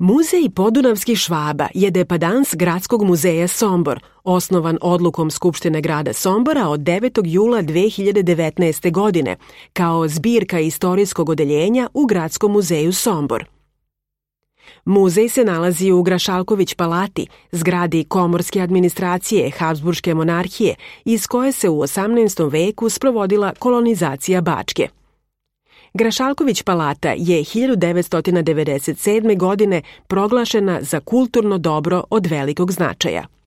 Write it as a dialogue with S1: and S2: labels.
S1: Muzej podunavskih Švaba je depadans Gradskog muzeja Sombor, osnovan odlukom Skupštine grada Sombora od 9. jula 2019. godine, kao zbirka istorijskog odeljenja u Gradskom muzeju Sombor. Muzej se nalazi u Grašalković palati, zgradi komorske administracije Habsburške monarhije, iz koje se u 18. veku sprovodila kolonizacija Bačke. Grašalković palata je 1997. godine proglašena za kulturno dobro od velikog značaja.